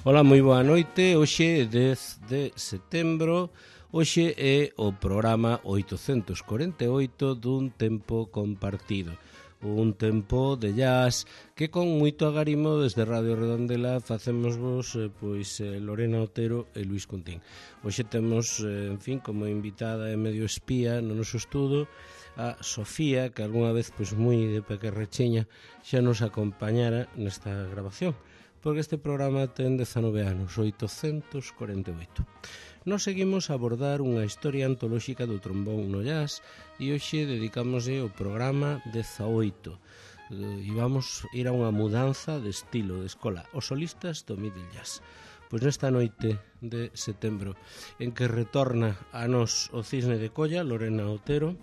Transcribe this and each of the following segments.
Ola, moi boa noite. Hoxe é 10 de setembro. Hoxe é o programa 848 dun tempo compartido. Un tempo de jazz que con moito agarimo desde Radio Redondela facemos vos Lorena Otero e Luis Contín. Hoxe temos, como invitada e medio espía no noso estudo a Sofía, que algunha vez moi de pequerrecheña xa nos acompañara nesta grabación, porque este programa ten 19 anos, 848. Nos seguimos a abordar unha historia antolóxica do trombón no jazz e hoxe dedicámoslle o programa 18. E vamos ir a unha mudanza de estilo de escola, os solistas do middle jazz. Pois nesta noite de setembro en que retorna a nos o Cisne de Colla, Lorena Otero,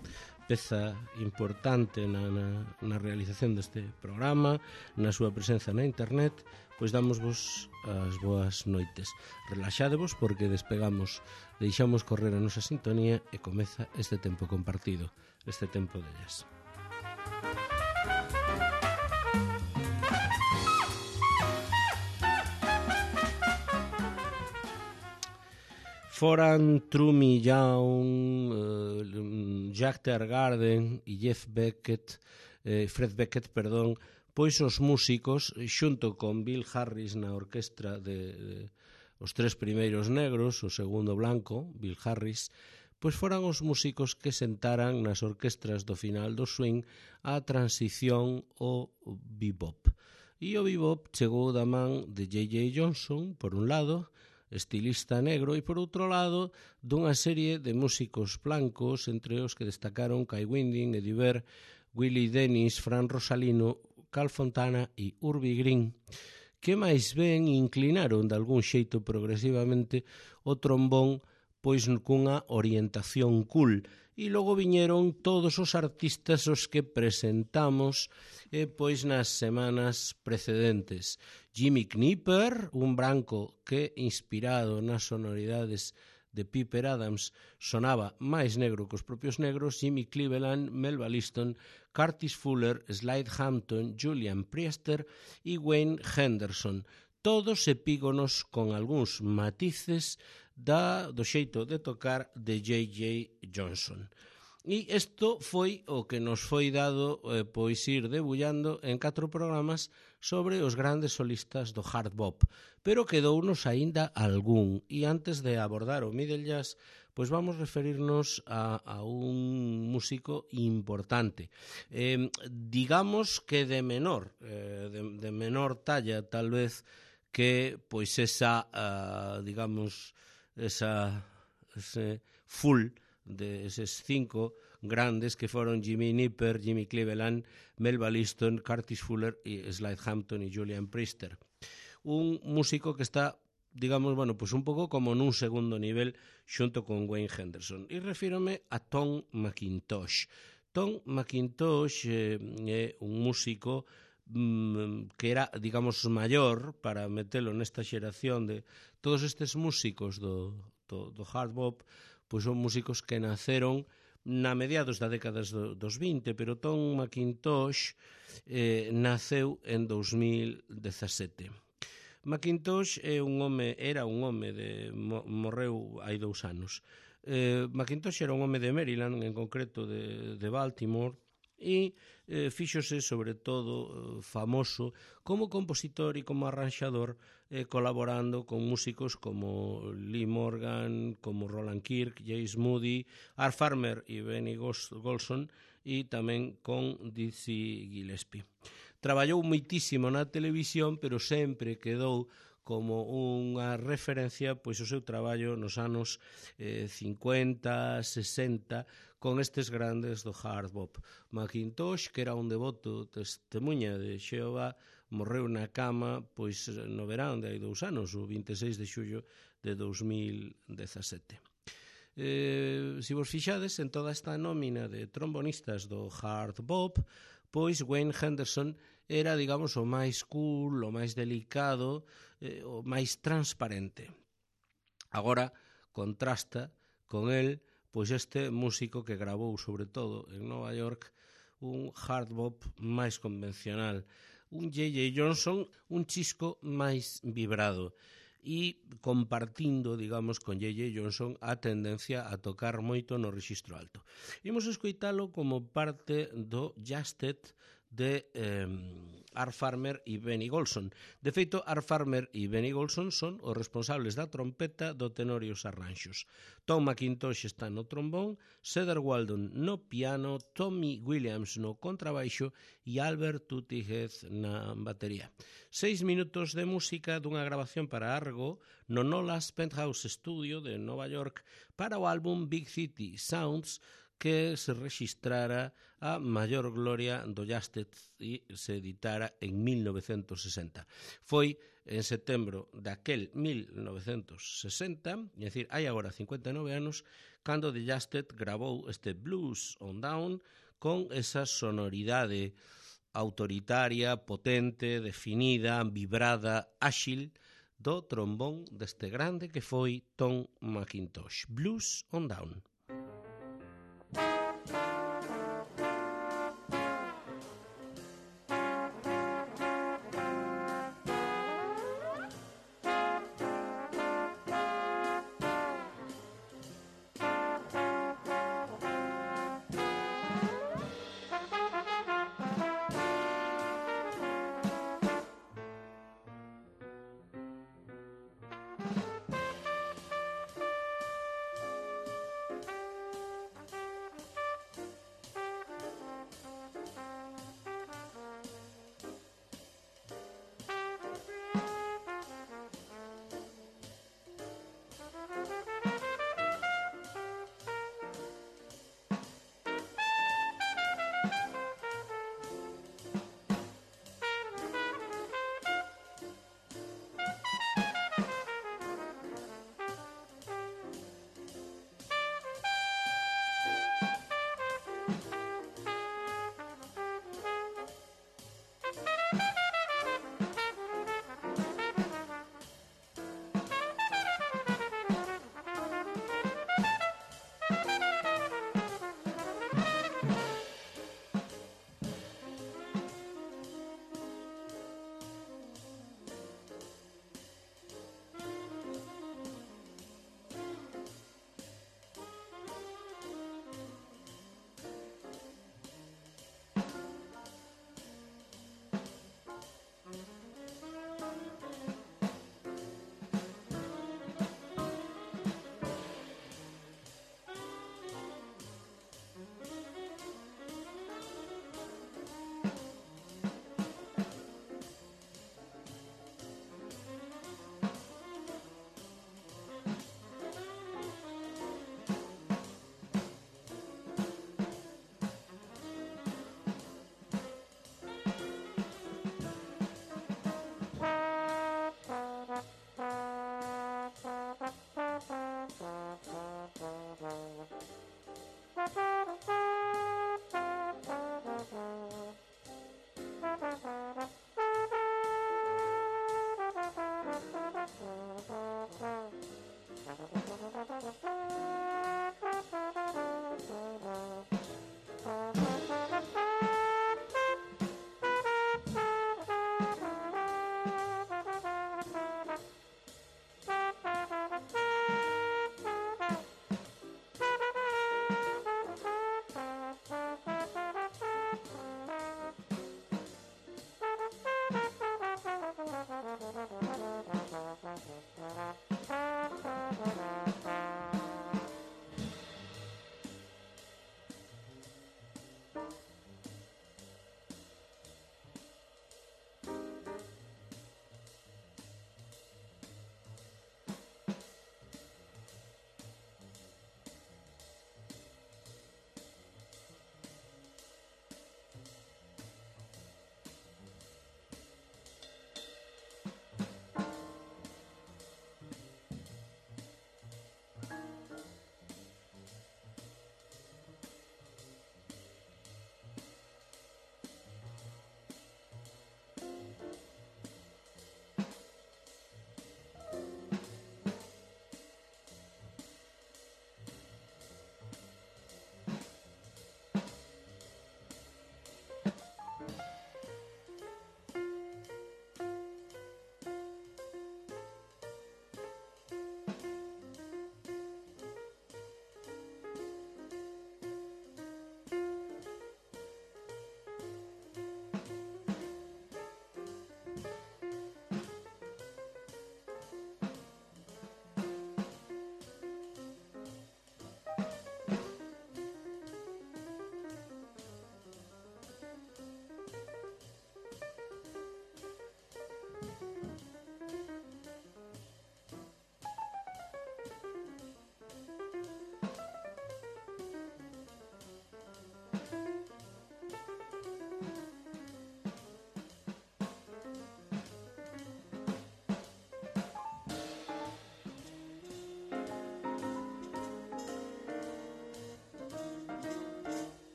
peza importante na realización deste programa, na súa presenza na internet, pois damosvos as boas noites. Relaxadevos porque despegamos, deixamos correr a nosa sintonía e comeza este tempo compartido, este tempo de jazz. Foran Trumi Young, Jack Teargarden e Fred Beckett, pois os músicos, xunto con Bill Harris na orquestra de os tres primeiros negros, o segundo blanco, Bill Harris, pois foran os músicos que sentaran nas orquestras do final do swing a transición ao bebop. E o bebop chegou da man de J.J. Johnson, por un lado, estilista negro, e por outro lado dunha serie de músicos blancos, entre os que destacaron Kai Winding, Eddie Vedder, Willie Dennis, Fran Rosalino, Carl Fontana e Urbie Green, que máis ben inclinaron de algún xeito progresivamente o trombón pois cunha orientación cool. E logo viñeron todos os artistas os que presentamos pois nas semanas precedentes. Jimmy Knipper, un branco que, inspirado nas sonoridades de Piper Adams, sonaba máis negro que os propios negros. Jimmy Cleveland, Melba Liston, Curtis Fuller, Slade Hampton, Julian Priester e Wayne Henderson, todos epígonos con algúns matices do xeito de tocar de J.J. Johnson. E isto foi o que nos foi dado pois ir debullando en 4 programas sobre os grandes solistas do hard bop, pero quedounos aínda algún. E antes de abordar o middle jazz, pois vamos referirnos a un músico importante, digamos que de menor talla, tal vez, que pois ese full de eses 5 grandes que foron Jimmy Knipper, Jimmy Cleveland, Melba Liston, Curtis Fuller e Slade Hampton e Julian Priester. Un músico que está, un pouco como nun segundo nivel xunto con Wayne Henderson. E refírome a Tom McIntosh. Tom McIntosh é un músico que era, maior, para metelo nesta xeración de todos estes músicos do hard bop, pois son músicos que naceron na mediados da décadas dos 20, pero Tom McIntosh naceu en 2017. McIntosh era un home morreu hai 2 anos. McIntosh era un home de Maryland, en concreto de Baltimore, e fíxose sobre todo famoso como compositor e como arranxador, colaborando con músicos como Lee Morgan, como Roland Kirk, James Moody, Art Farmer e Benny Golson, e tamén con Dizzy Gillespie. Traballou moitísimo na televisión, pero sempre quedou como unha referencia pois o seu traballo nos anos 50, 60, con estes grandes do hard bop. McIntosh, que era un devoto testemunha de Xehová, morreu na cama pois no verán de hai 2 anos, o 26 de xullo de 2017. Se vos fixades en toda esta nómina de trombonistas do hard bop, pois Wayne Henderson era, o máis cool, o máis delicado, o máis transparente. Agora contrasta con el pois este músico que gravou sobre todo en Nova York un hard bop máis convencional, un J.J. Johnson un chisco máis vibrado. e compartindo, digamos, con J.J. Johnson a tendencia a tocar moito no rexistro alto. Imos escoitalo como parte do Justed de Art Farmer e Benny Golson. De feito, Art Farmer e Benny Golson son os responsables da trompeta, do tenor e os arranxos. Tom McIntosh está no trombón, Cedar Walton no piano, Tommy Williams no contrabaixo e Albert Tuttihead na batería. 6 minutos de música dunha grabación para Argo no Nolas Penthouse Studio de Nova York para o álbum Big City Sounds, que se registrara a maior gloria do Justed e se editara en 1960. Foi en setembro daquel 1960, é dicir, hai agora 59 anos, cando The Justed grabou este Blues on Down con esa sonoridade autoritaria, potente, definida, vibrada, áxil do trombón deste grande que foi Tom McIntosh. Blues on Down.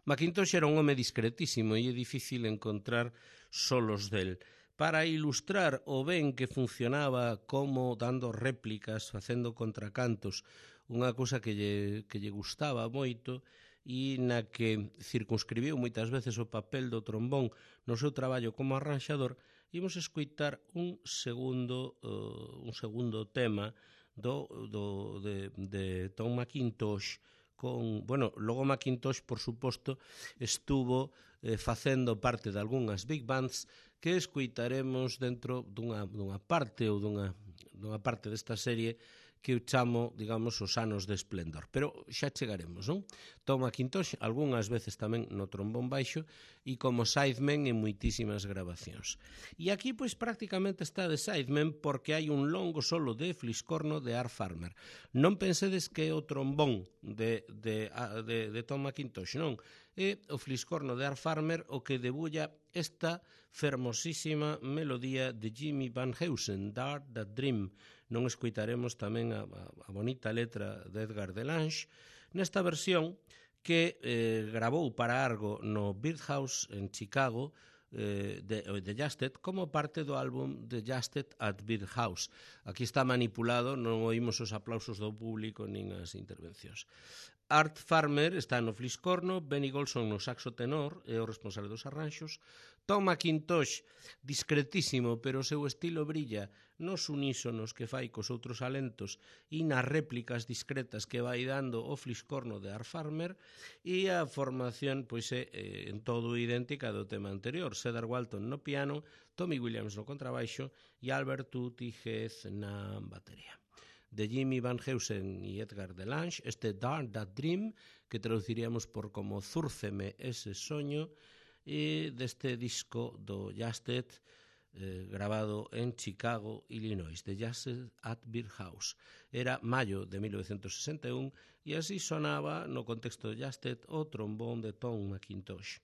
Macintosh era un home discretísimo e é difícil encontrar solos del. Para ilustrar o ben que funcionaba como dando réplicas, facendo contracantos, unha cousa que lle gustaba moito e na que circunscribiu moitas veces o papel do trombón no seu traballo como arranxador, imos escoitar un segundo tema de Tom Macintosh con, bueno, logo Macintosh, por suposto, estuvo facendo parte de algunhas big bands que escoitaremos dentro dunha parte ou dunha parte desta serie que eu chamo, digamos, os anos de esplendor. Pero xa chegaremos, non? Tom Macintosh, algunhas veces tamén no trombón baixo e como sideman en moitísimas grabacións. E aquí, pois, prácticamente está de sideman porque hai un longo solo de fliscorno de Art Farmer. Non pensedes que é o trombón de Tom Macintosh, non? É o fliscorno de Art Farmer o que debulla esta fermosísima melodía de Jimmy Van Heusen, Dart That Dream. Non escoitaremos tamén a bonita letra de Edgar Delange nesta versión que gravou para Argo no Birdhouse en Chicago de Justed como parte do álbum de Justed at Birdhouse. Aquí está manipulado, non oímos os aplausos do público nin as intervencións. Art Farmer está no fliscorno, Benny Golson no saxo tenor, é o responsable dos arranxos, Tom Macintosh, discretísimo, pero o seu estilo brilla nos unísonos que fai cos outros alentos e nas réplicas discretas que vai dando o fliscorno de Art Farmer, e a formación pois é en todo idéntica do tema anterior, Cedar Walton no piano, Tommy Williams no contrabaixo e Albert Tutti Hez na batería. De Jimmy Van Heusen e Edgar Delange, este Dart That Dream, que traduciríamos por como Zúrceme ese soño, e deste disco do Justed, grabado en Chicago, Illinois, de Justed at Birdhouse. Era maio de 1961 e así sonaba no contexto de Justed o trombón de Tom Macintosh.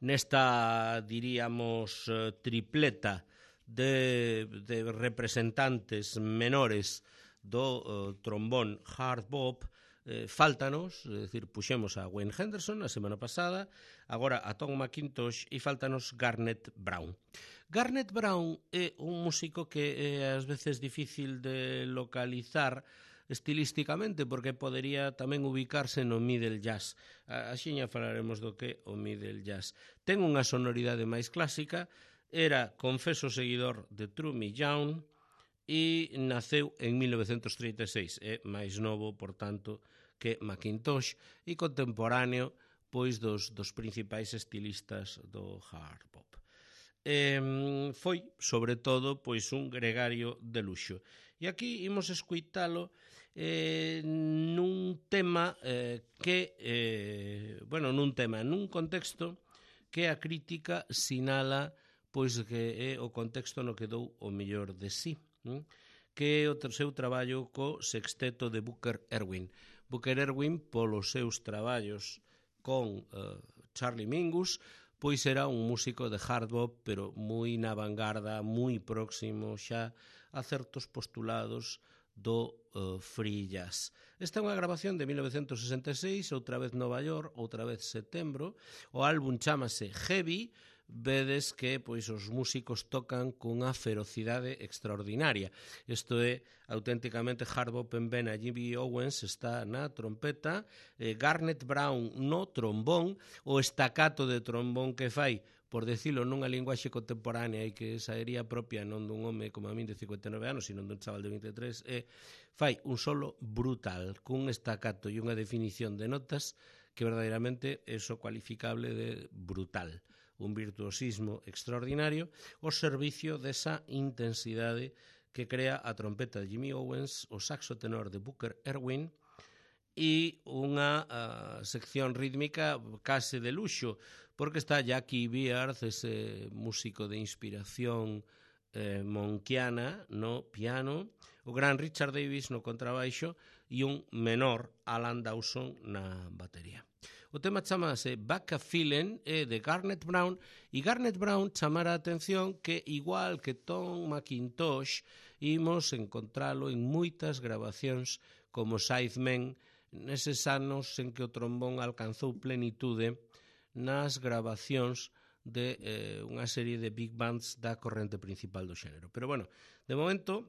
nesta, diríamos, tripleta de representantes menores do trombón hard bop, faltanos, é dicir, puxemos a Wayne Henderson a semana pasada, agora a Tom McIntosh e faltanos Garnet Brown. Garnet Brown é un músico que é ás veces difícil de localizar estilísticamente porque podería tamén ubicarse no middle jazz. Axiña falaremos do que o middle jazz. Ten unha sonoridade máis clásica, era confeso seguidor de Trumy Young e naceu en 1936. É máis novo, por tanto, que McIntosh e contemporáneo pois dos principais estilistas do hard bop. Foi, sobre todo, pois un gregario de luxo. E aquí imos escuitalo nun tema nun contexto que a crítica sinala pois que é o contexto no que dou o mellor de sí, que é o seu traballo co sexteto de Booker Erwin. Booker Erwin, polos seus traballos con Charlie Mingus, pois era un músico de hard bop, pero moi na vanguarda, moi próximo xa a certos postulados do free jazz. Esta é unha grabación de 1966, outra vez Nova York, outra vez setembro. O álbum chámase Heavy. Vedes que pois os músicos tocan cunha ferocidade extraordinaria. Isto é auténticamente hard bop en vena. Jimmy Owens está na trompeta, Garnet Brown no trombón, o estacato de trombón que fai, por decirlo nunha linguaxe contemporánea e que saería propia non dun home como a min de 59 anos, sino dun chaval de 23, fai un solo brutal, cun estacato e unha definición de notas que verdadeiramente é so cualificable de brutal. Un virtuosismo extraordinario ao servicio desa intensidade que crea a trompeta de Jimmy Owens, o saxo tenor de Booker Erwin e unha sección rítmica case de luxo, porque está Jackie Beard, ese músico de inspiración monkiana no piano, o gran Richard Davis no contrabaixo e un menor Alan Dawson na batería. O tema chamase Back a Feeling, é de Garnet Brown, e Garnet Brown chamara a atención que, igual que Tom McIntosh, imos encontralo en moitas grabacións como Sidemen, neses anos en que o trombón alcanzou plenitude nas grabacións de unha serie de big bands da corrente principal do xénero. Pero bueno, de momento,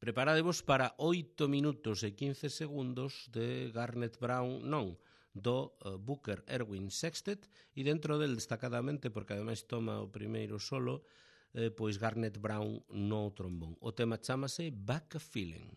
preparadevos para 8 minutos e 15 segundos de Garnet Brown, non, do Booker Erwin Sextet, e dentro del destacadamente, porque ademais toma o primeiro solo, pois Garnet Brown no trombón. O tema chámase Back a Feeling.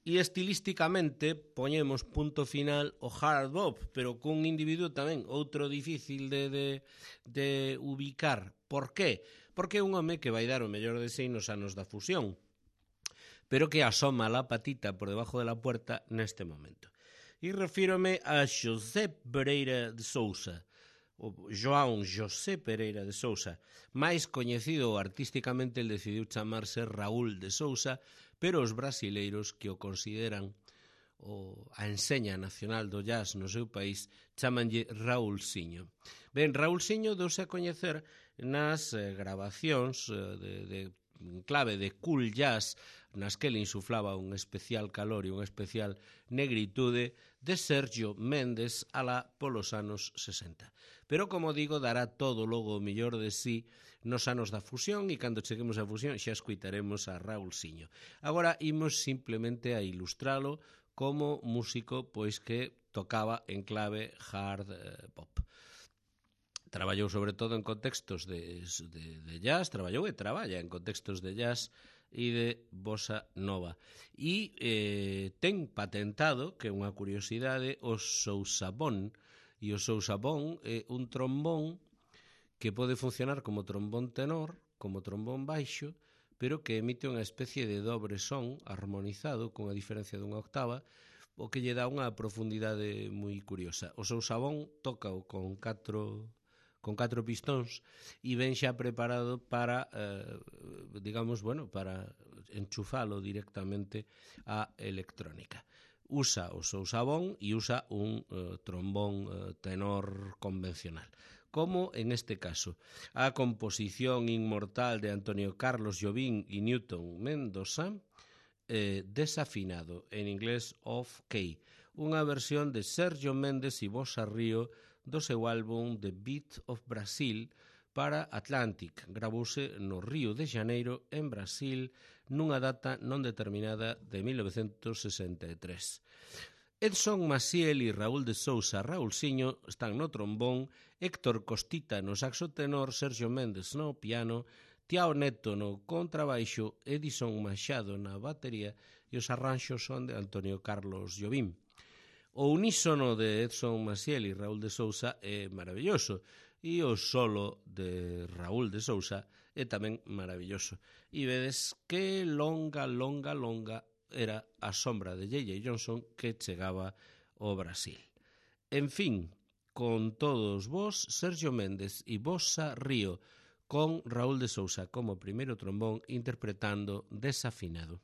E estilísticamente poñemos punto final o hard bop, pero cun individuo tamén outro difícil de ubicar. Por qué? Porque é un home que vai dar o mellor de si nos anos da fusión, pero que asoma la patita por debajo de la puerta neste momento. E refírome a José Pereira de Sousa, o João José Pereira de Sousa, máis coñecido artísticamente, el decidiu chamarse Raúl de Sousa, pero os brasileiros que o consideran a enseña nacional do jazz no seu país chamanlle Raúlsiño. Ben, Raúlsiño douse a coñecer nas grabacións de clave de cool jazz nas que ele insuflaba un especial calor e unha especial negritude de Sergio Méndez alá polos anos 60. Pero, como digo, dará todo logo o mellor de sí nos anos da fusión e cando cheguemos á fusión xa escuitaremos a Raúlsiño. Agora imos simplemente a ilustralo como músico pois que tocaba en clave hard pop. Traballou sobre todo en contextos de jazz, traballou e traballa en contextos de jazz e de bossa nova. E ten patentado, que é unha curiosidade, o sousabón. E o sousabón é un trombón que pode funcionar como trombón tenor, como trombón baixo, pero que emite unha especie de dobre son armonizado con a diferencia dunha octava, o que lle dá unha profundidade moi curiosa. O sousabón tócao con catro pistóns e ven xa preparado para, para enchufalo directamente á electrónica. Usa o sousabón e usa un trombón tenor convencional, como en este caso. A composición inmortal de Antonio Carlos Jobim e Newton Mendoza, Desafinado, en inglés Off Key, unha versión de Sergio Méndez e Bossa Río do seu álbum The Beat of Brazil para Atlantic. Gravouse no Río de Janeiro, en Brasil, nunha data non determinada de 1963. Edson Maciel e Raúl de Sousa Raúlsiño están no trombón, Héctor Costita no saxo tenor, Sergio Méndez no piano, Tiao Neto no contrabaixo, Edison Machado na batería e os arranxos son de Antonio Carlos Jobim. O unísono de Edson Maciel e Raúl de Sousa é maravilloso e o solo de Raúl de Sousa é tamén maravilloso. E vedes que longa era a sombra de J.J. Johnson que chegaba ao Brasil. En fin, con todos vos, Sergio Méndez e Bossa Río, con Raúl de Sousa como primeiro trombón interpretando Desafinado.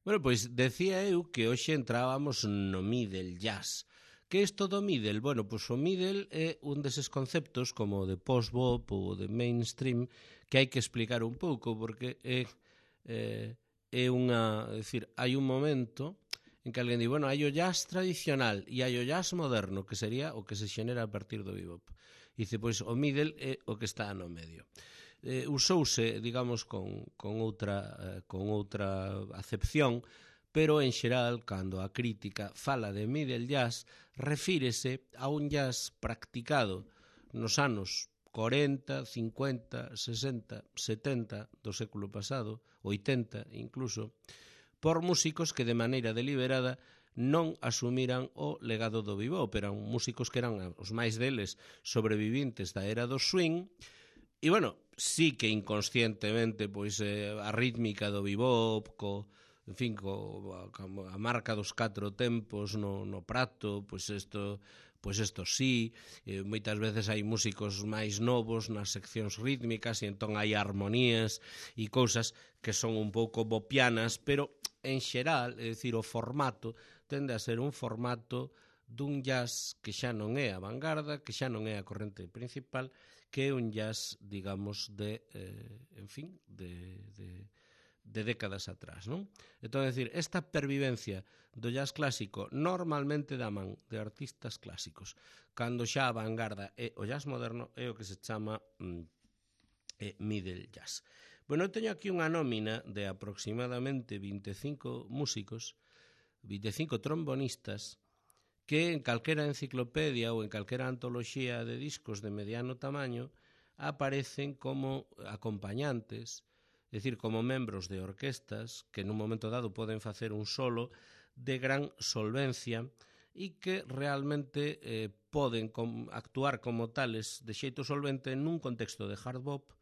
Bueno, pois decía eu que hoxe entrábamos no middle jazz. Que isto do middle? Bueno, pois o middle é un deses conceptos como o de post-bop ou de mainstream que hai que explicar un pouco porque é unha... É dicir, hai un momento en que alguén di, bueno, hai o jazz tradicional e hai o jazz moderno, que sería o que se xenera a partir do bebop. E dice, pois o middle é o que está no medio. Usouse, digamos, con outra acepción, pero en xeral, cando a crítica fala de middle jazz, refírese a un jazz practicado nos anos 40, 50, 60, 70 do século pasado, 80 incluso, por músicos que de maneira deliberada non asumiran o legado do bebop. Eran músicos que eran os máis deles sobrevivintes da era do swing. E, bueno, sí que inconscientemente pois a rítmica do bebop, en fin, a marca dos 4 tempos no prato, pois isto sí, moitas veces hai músicos máis novos nas seccións rítmicas e entón hai armonías e cousas que son un pouco bopianas, pero en xeral, é dicir, o formato tende a ser un formato dun jazz que xa non é a vanguarda, que xa non é a corrente principal, que é un jazz, digamos, de décadas atrás, non? Entón, é dicir, esta pervivencia do jazz clásico normalmente da man de artistas clásicos, cando xa a vanguarda é o jazz moderno, é o que se chama middle jazz. Bueno, eu teño aquí unha nómina de aproximadamente 25 músicos, 25 trombonistas, que en calquera enciclopedia ou en calquera antoloxía de discos de mediano tamaño aparecen como acompañantes, é dicir, como membros de orquestas que nun momento dado poden facer un solo de gran solvencia e que realmente poden actuar como tales de xeito solvente nun contexto de hard bop,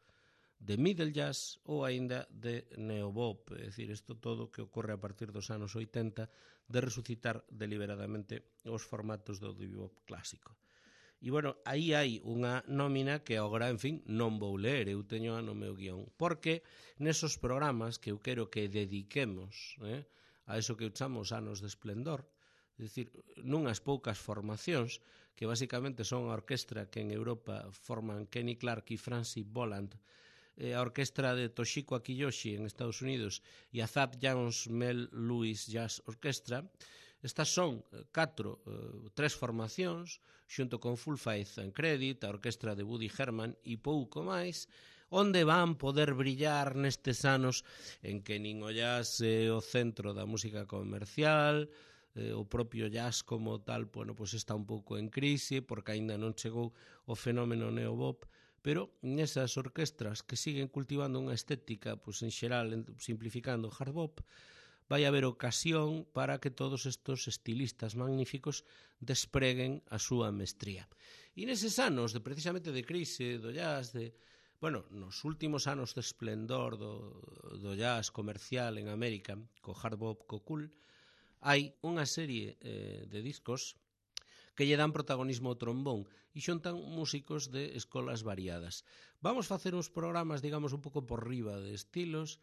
de middle jazz ou aínda de neobop, é dicir, isto todo que ocorre a partir dos anos 80 de resucitar deliberadamente os formatos do bebop clásico. E, bueno, aí hai unha nómina que agora, en fin, non vou ler, eu teño no meu guión, porque nesos programas que eu quero que dediquemos a eso que eu chamo os anos de esplendor, é dicir, nunhas poucas formacións, que basicamente son a orquestra que en Europa forman Kenny Clarke e Francis Boland, a orquestra de Toshiko Akiyoshi en Estados Unidos e a Zap Jones Mel Lewis Jazz Orchestra. Estas son tres formacións, xunto con Full Faith and Credit, a orquestra de Woody Herman e pouco máis, onde van poder brillar nestes anos en que nin o jazz é o centro da música comercial, o propio jazz como tal, bueno, pois está un pouco en crise porque aínda non chegou o fenómeno neobop, pero nesas orquestras que siguen cultivando unha estética, pois en xeral, simplificando hard bop, vai haber ocasión para que todos estos estilistas magníficos despreguen a súa mestría. E neses anos, precisamente de crise do jazz, nos últimos anos de esplendor do jazz comercial en América, co hard bop, co cool, hai unha serie de discos que lle dan protagonismo ao trombón e xuntan músicos de escolas variadas. Vamos facer uns programas, digamos, un pouco por riba de estilos,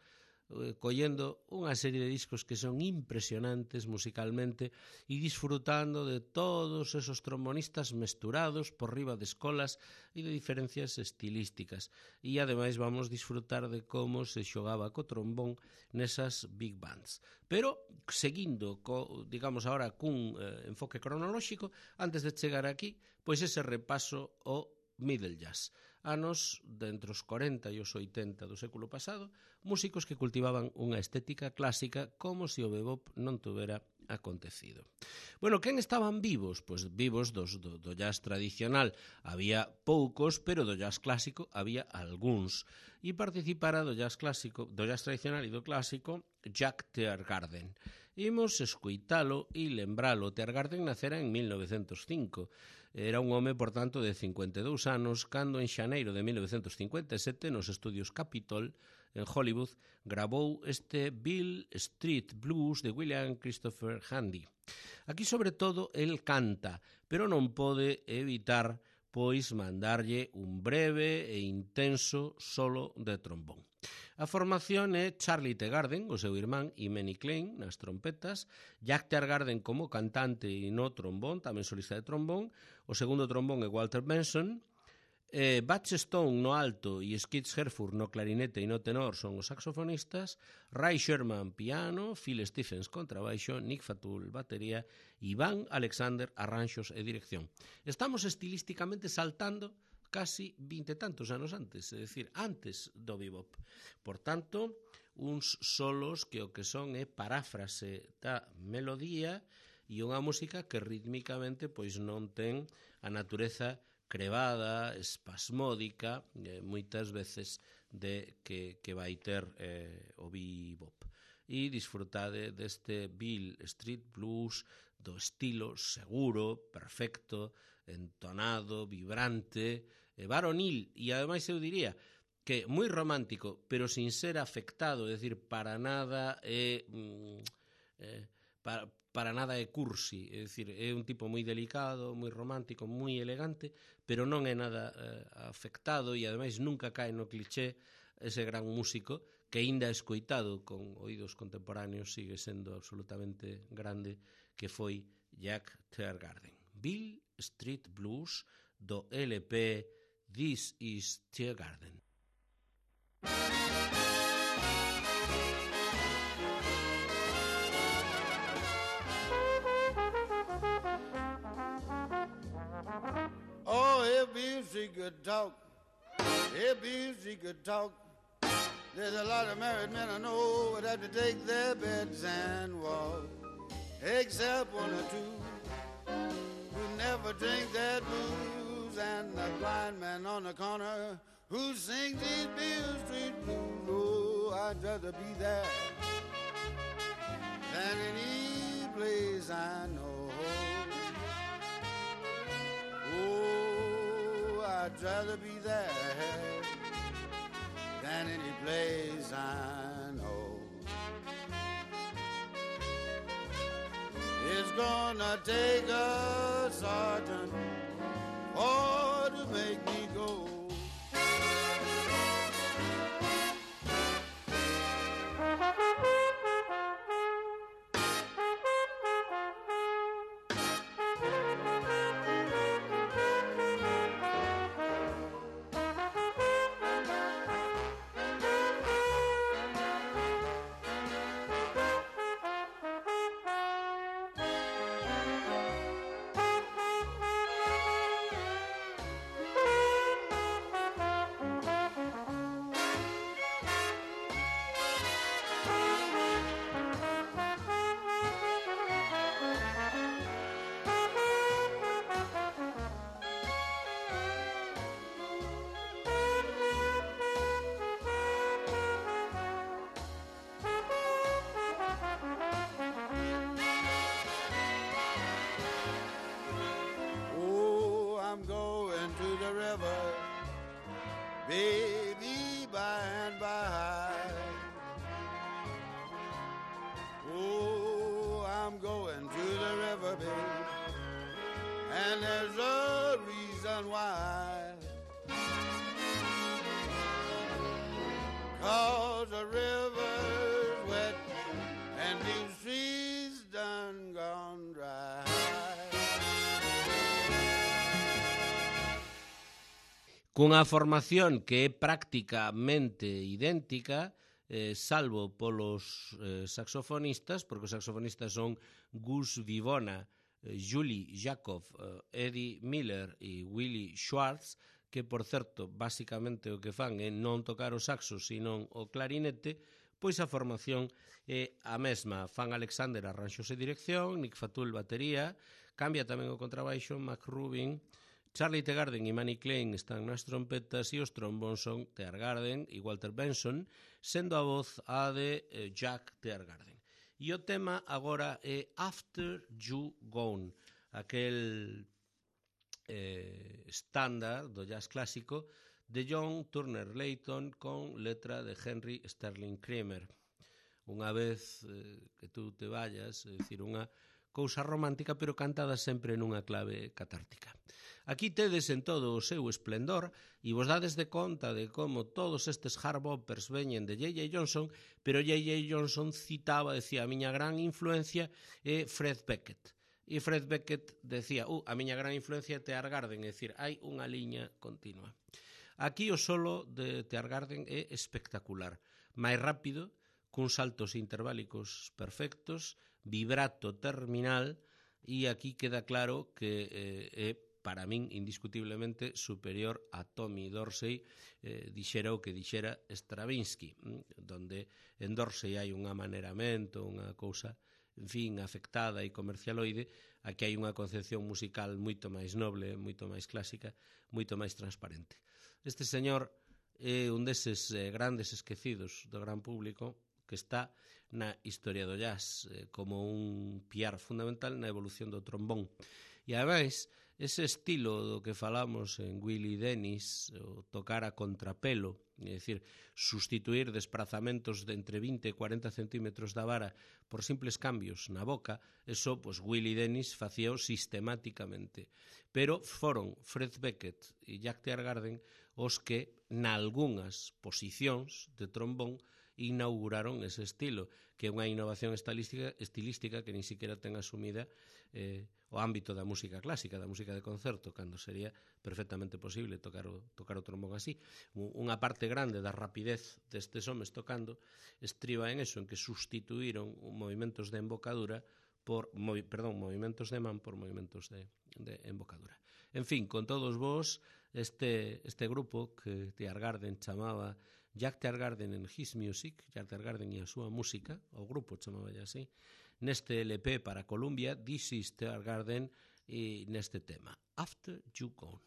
collendo unha serie de discos que son impresionantes musicalmente e disfrutando de todos esos trombonistas mesturados por riba de escolas e de diferencias estilísticas. E ademais vamos disfrutar de como se xogaba co trombón nesas big bands. Pero seguindo, digamos agora, cun enfoque cronolóxico, antes de chegar aquí, pois ese repaso ao middle jazz. Anos de entre os 40 e os 80 do século pasado, músicos que cultivaban unha estética clásica como se o bebop non tuvera acontecido. Bueno, quen estaban vivos? Pois vivos do jazz tradicional había poucos, pero do jazz clásico había algúns. E participara do jazz clásico, do jazz tradicional e do clásico, Jack Teargarden. Imos escoitalo e lembralo. Teargarden nacera en 1905. Era un home, por tanto, de 52 anos, cando en xaneiro de 1957, nos estudios Capitol, en Hollywood, grabou este Beale Street Blues de William Christopher Handy. Aquí, sobre todo, el canta, pero non pode evitar pois mandarlle un breve e intenso solo de trombón. A formación é Charlie Teagarden, o seu irmán, e Manny Klein nas trompetas, Jack Teagarden como cantante e no trombón, tamén solista de trombón, o segundo trombón é Walter Benson, Butch Stone no alto e Skids Herford no clarinete e no tenor son os saxofonistas, Ray Sherman piano, Phil Stephens contrabaixo, Nick Fatul batería, Ivan Alexander arranxos e dirección. Estamos estilísticamente saltando casi 20 tantos anos antes, é dicir, antes do bebop. Por tanto, uns solos que o que son é paráfrase da melodía e unha música que rítmicamente pois non ten a natureza crevada, espasmódica, moitas veces de que vai ter o bebop. E disfrutade deste Beale Street Blues do estilo seguro, perfecto, entonado, vibrante, varonil, e ademais eu diría que moi romántico, pero sin ser afectado, é dicir, para nada para nada é cursi, é dicir, é un tipo moi delicado, moi romántico, moi elegante, pero non é nada afectado e ademais nunca cae no cliché ese gran músico que aínda escoitado con oídos contemporáneos sigue sendo absolutamente grande, que foi Jack Teagarden. Beale Street Blues do LP This is Teagarden. Oh, if Beasley could talk, if Beasley could talk, there's a lot of married men I know would have to take their beds and walk, except one or two who never drink their booze, and the blind man on the corner who sings these Beale Street blues. Oh, I'd rather be there than any place I know. Oh, I'd rather be there than any place I know. It's gonna take a sergeant for to make me go. Baby, by and by. Oh, I'm going to the river, babe, and there's a reason why. 'Cause the river's wet and the streets done gone dry. Cunha formación que é prácticamente idéntica, salvo polos saxofonistas, porque os saxofonistas son Gus Vivona, Julie Jacob, Eddie Miller e Willie Schwartz, que, por certo, basicamente o que fan é non tocar o saxo, senón o clarinete, pois a formación é a mesma. Fan Alexander arranxos e dirección, Nick Fatul batería, cambia tamén o contrabaixo, Mac Rubin, Charlie Teagarden e Manny Klein están nas trompetas e os trombóns son Teagarden e Walter Benson, sendo a voz a de Jack Teagarden. E o tema agora é After You Gone, aquel estándar do jazz clásico de John Turner Layton con letra de Henry Sterling Kramer. Unha vez que tú te vayas, é dicir, unha cousa romántica, pero cantada sempre nunha clave catártica. Aquí tedes en todo o seu esplendor e vos dades de conta de como todos estes hard boppers veñen de J.J. Johnson, pero J.J. Johnson citaba, decía, a miña gran influencia é Fred Beckett. E Fred Beckett decía, a miña gran influencia é Teargarden, é dicir, hai unha liña continua. Aquí o solo de Teargarden é espectacular, máis rápido, cuns saltos interválicos perfectos, vibrato terminal, e aquí queda claro que é, para min, indiscutiblemente superior a Tommy Dorsey, dixera o que dixera Stravinsky, donde en Dorsey hai un amaneramento, unha cousa, en fin, afectada e comercialoide, aquí hai unha concepción musical moito máis noble, moito máis clásica, moito máis transparente. Este señor é un deses grandes esquecidos do gran público, que está na historia do jazz como un piar fundamental na evolución do trombón. E, ademais, ese estilo do que falamos en Willie Dennis, o tocar a contrapelo, é dicir, sustituir desprazamentos de entre 20 e 40 centímetros da vara por simples cambios na boca, eso, pues, Willie Dennis facíao sistemáticamente. Pero foron Fred Beckett e Jack Teargarden os que, nalgunhas posicións de trombón, inauguraron ese estilo, que é unha innovación estilística que nin siquiera ten asumida o ámbito da música clásica, da música de concerto, cando sería perfectamente posible tocar o trombón así. Unha parte grande da rapidez destes homes tocando estriba en eso, en que sustituíron movimentos de embocadura movimentos de man por movimentos de embocadura. En fin, con todos vos, este grupo que Teargarden chamaba Jack Teargarden and His Music, Jack Teargarden e a súa música, o grupo chamaba así, neste LP para Columbia, This is Teargarden, e neste tema, After You Gone.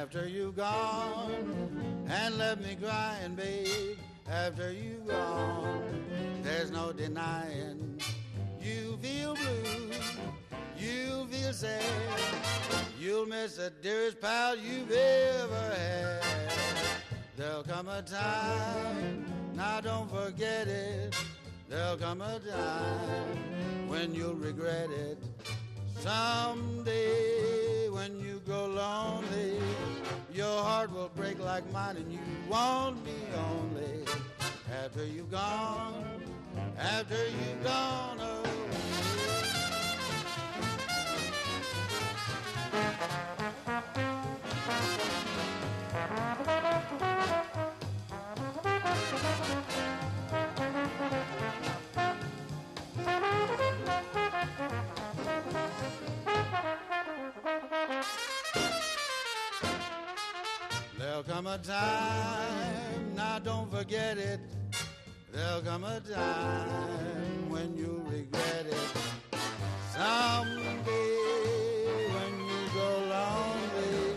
After you gone and left me crying, babe, after you gone, there's no denying. You feel blue, you feel sad, you'll miss the dearest pal you've ever had. There'll come a time, now don't forget it, there'll come a time when you'll regret it. Someday when you grow lonely, your heart will break like mine and you won't be only. After you've gone, away. There'll come a time, now don't forget it, there'll come a time when you'll regret it. Someday when you go lonely,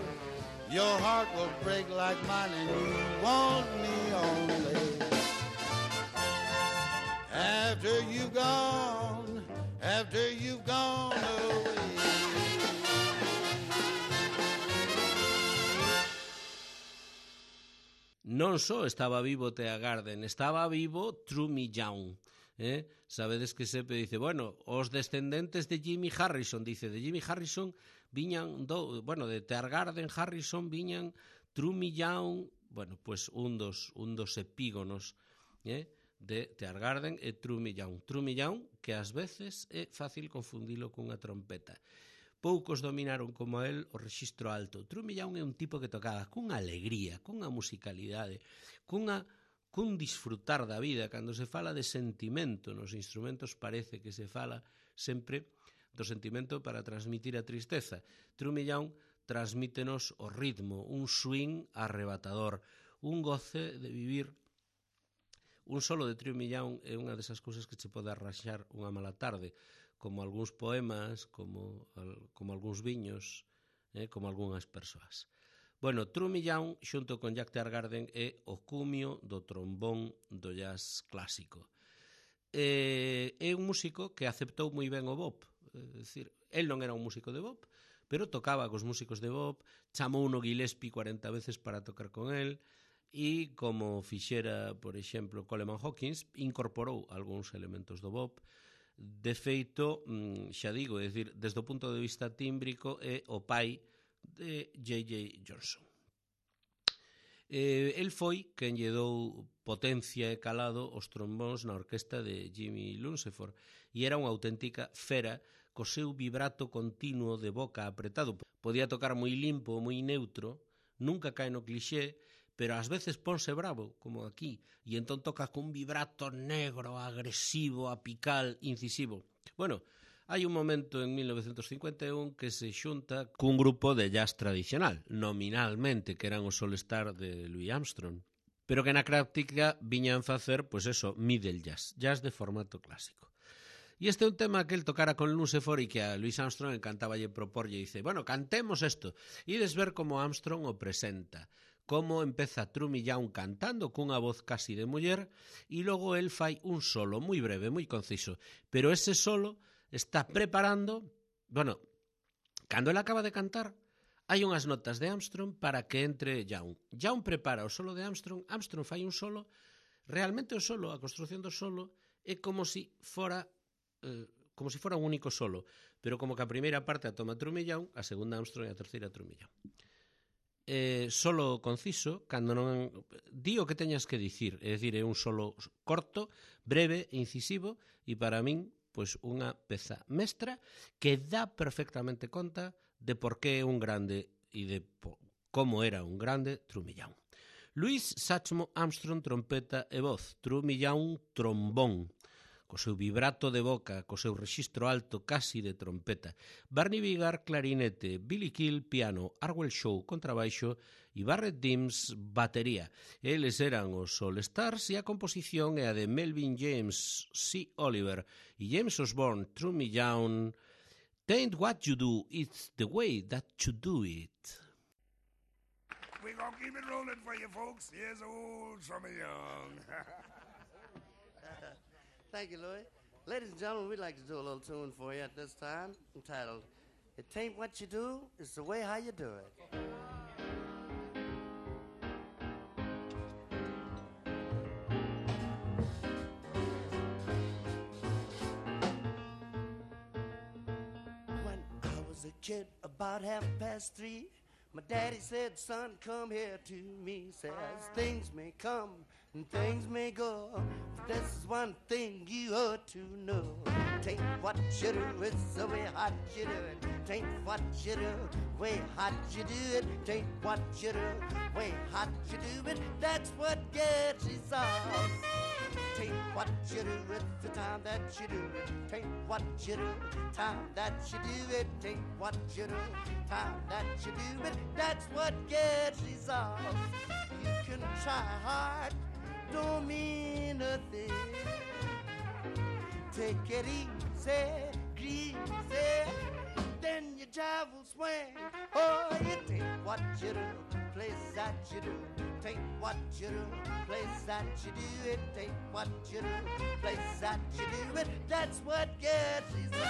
your heart will break like mine and you want me only. After you've gone away. Non só estaba vivo Teargarden, estaba vivo Trumy Young. Sabedes que sempre dice, bueno, os descendentes de Jimmy Harrison, dice, de Jimmy Harrison viñan, de Teargarden Harrison viñan Trumy Young, bueno, pues un dos epígonos de Teargarden e Trumy Young. Trumy Young, que ás veces é fácil confundilo cunha trompeta. Poucos dominaron como el o rexistro alto. Trumy Young é un tipo que tocaba cunha alegría, cunha musicalidade, cun disfrutar da vida. Cando se fala de sentimento nos instrumentos parece que se fala sempre do sentimento para transmitir a tristeza. Trumy Young transmítenos o ritmo, un swing arrebatador, un goce de vivir Un solo de Trío Millán é unha desas cousas que che pode arraxar unha mala tarde, como algúns poemas, como algúns viños, como algunhas persoas. Bueno, Trío Millán, xunto con Jack Teargarden, é o cumio do trombón do jazz clásico. É un músico que aceptou moi ben o bop, é dicir, el non era un músico de bop, pero tocaba cos músicos de bop, chamou uno Gillespie 40 veces para tocar con el, e como fixera, por exemplo, Coleman Hawkins, incorporou algúns elementos do bop. De feito, xa digo, é dicir, desde o punto de vista tímbrico é o pai de J.J. Johnson. El foi quen lle dou potencia e calado os trombóns na orquesta de Jimmy Lunceford e era unha auténtica fera co seu vibrato continuo de boca apretado. Podía tocar moi limpo, moi neutro, nunca cae no clixé, pero ás veces ponse bravo, como aquí, e entón toca con un vibrato negro, agresivo, apical, incisivo. Bueno, hai un momento en 1951 que se xunta cun grupo de jazz tradicional, nominalmente, que eran os All Star de Louis Armstrong, pero que na práctica viñan facer, pois eso, middle jazz, jazz de formato clásico. E este é un tema que el tocara con Lunceford e que a Louis Armstrong encantaballe proporlle e dice, bueno, cantemos isto. E ides ver como Armstrong o presenta, como empeza Trío Millán cantando cunha voz casi de muller e logo el fai un solo moi breve, moi conciso, pero ese solo está preparando, bueno, cando el acaba de cantar, hai unhas notas de Armstrong para que entre Young. Young prepara o solo de Armstrong, Armstrong fai un solo, realmente o solo, a construción do solo, é como si fora un único solo, pero como que a primeira parte a toma Trío Millán, a segunda Armstrong e a terceira Trío Millán. Solo conciso, cando non di o que teñas que dicir, é dicir, é un solo corto, breve, incisivo, e para min, pois unha peza mestra que dá perfectamente conta de por que é un grande e de como era un grande Trío Millán. Louis Satchmo Armstrong, trompeta e voz, Trío Millán trombón, co seu vibrato de boca, co seu rexistro alto casi de trompeta. Barney Vigar, clarinete, Billy Kill, piano, Arwell Shaw, contrabaixo e Barrett Dims, batería. Eles eran os All Stars e a composición é a de Melvin James, C. Oliver e James Osborne, Trío Millán. Tain't what you do, it's the way that you do it. We're gonna keep it rolling for you folks. Here's old Trío Millán. Thank you, Louis. Ladies and gentlemen, we'd like to do a little tune for you at this time entitled, It Ain't What You Do, It's the Way How You Do It. When I was a kid, about 3:30, my daddy said, son, come here to me. Says, things may come and things may go, but this is one thing you ought to know. Tain't what you do, it's the way how you do it. Tain't what you do, way how you do it. Tain't what you do, way how you do it. That's what gets results. Tain't what you do, it's the time that you do it. Tain't what you do, time that you do it. Tain't what you do, time that you do it. That's what gets results. You can try hard, don't mean a thing. Take it easy, greasy, then your jive will swing. Oh, it ain't what you do, place that you do. Take what you do, place that you do. It ain't what you do, place that you do it. That's what gets results.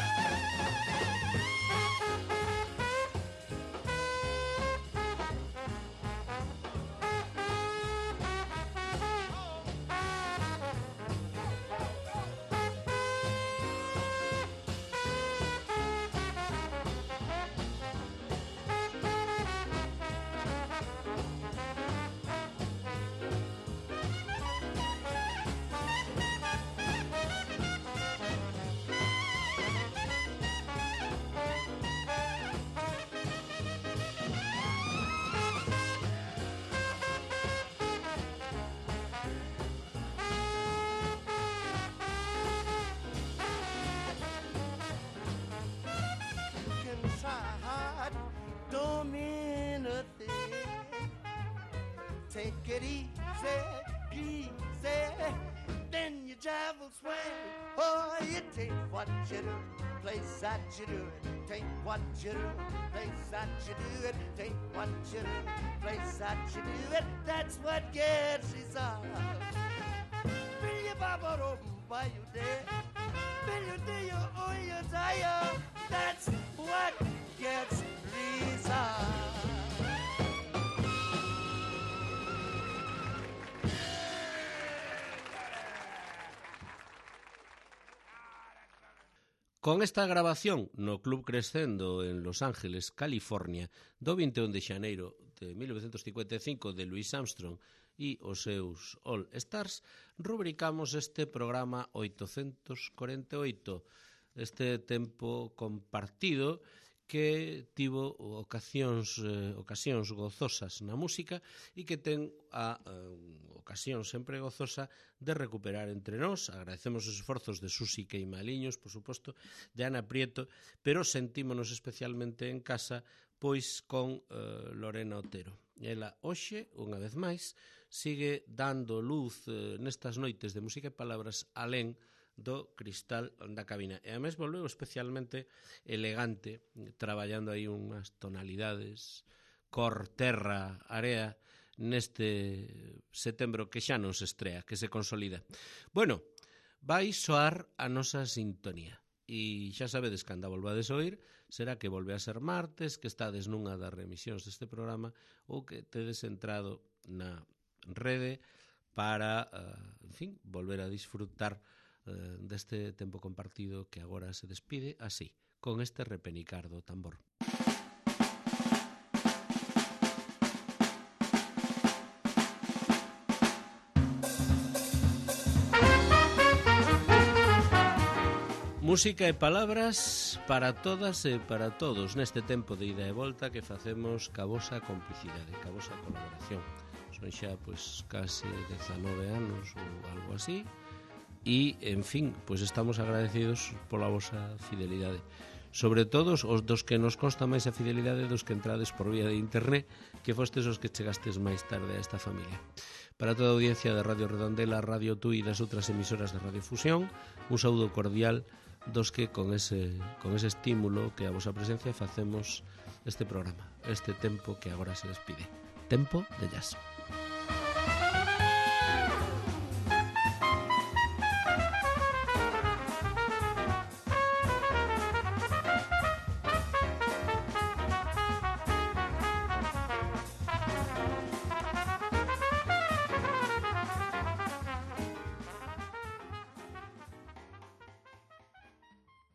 Take it easy, easy, you travel swing. Oh, it ain't what you do, place that you do it. Take what you do, place that you do it. Take what you do, place that you do it. That's what gets resolved. Will you bubble open by you day? Will you do you oh you tire? That's what gets resolved. Con esta grabación no Club Crescendo en Los Ángeles, California, do 21 de xaneiro de 1955 de Louis Armstrong e os seus All Stars, rubricamos este programa 848, este tempo compartido que tivo ocasións gozosas na música e que ten a ocasión sempre gozosa de recuperar entre nós. Agradecemos os esforzos de Susi Queimaliños, por suposto, de Ana Prieto, pero sentímonos especialmente en casa pois con Lorena Otero. Ela hoxe, unha vez máis, sigue dando luz nestas noites de música e palabras alén do cristal da cabina. E ademais volveu especialmente elegante, traballando aí unhas tonalidades cor, terra, area, neste setembro que xa non se estrea, que se consolida. Bueno, vai soar a nosa sintonía. E xa sabedes que anda volvades a oír, será que volve a ser martes, que estades nunha das remisións deste programa ou que tedes entrado na rede para, en fin, volver a disfrutar deste tempo compartido que agora se despide así, con este repenicar do tambor. Música e palabras para todas e para todos neste tempo de ida e volta que facemos ca vosa complicidade, ca vosa colaboración. Son xa, pois, case 19 anos ou algo así. E, en fin, pois estamos agradecidos pola vosa fidelidade. Sobre todo os dos que nos consta máis a fidelidade dos que entrades por vía de internet, que fostes os que chegastes máis tarde a esta familia. Para toda a audiencia de Radio Redondela, Radio Tui e das outras emisoras de Radiofusión, un saúdo cordial dos que con ese estímulo que a vosa presencia facemos este programa, este tempo que agora se despide. Tempo de jazz.